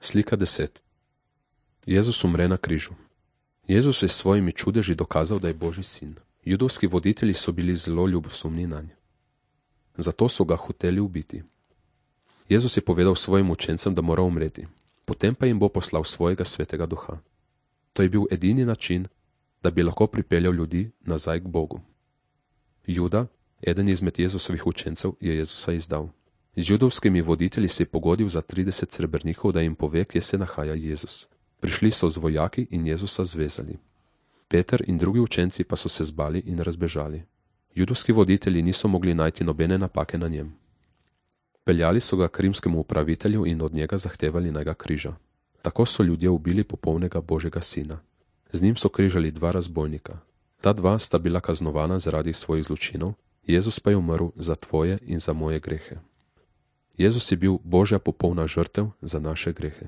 Slika 10. Jezus umre na križu. Jezus je s svojimi čudeži dokazal, da je Božji sin. Judovski voditelji so bili zelo ljubosumni nanj. Zato so ga hoteli ubiti. Jezus je povedal svojim učencem, da mora umreti. Potem pa jim bo poslal svojega svetega duha. To je bil edini način, da bi lahko pripeljal ljudi nazaj k Bogu. Juda, eden izmed Jezusovih učencev, je Jezusa izdal. Z judovskimi voditelji se je pogodil za 30 srebrnikov, da jim pove, kje se nahaja Jezus. Prišli so z vojaki in Jezusa zvezali. Peter in drugi učenci pa so se zbali in razbežali. Judovski voditelji niso mogli najti nobene napake na njem. Peljali so ga k rimskemu upravitelju in od njega zahtevali, naj ga križa. Tako so ljudje ubili popolnega Božjega sina. Z njim so križali 2 razbojnika. Ta 2 sta bila kaznovana zaradi svojih zločinov, Jezus pa je umrl za tvoje in za moje grehe. Jezus je bil Božja popolna žrtev za naše grehe.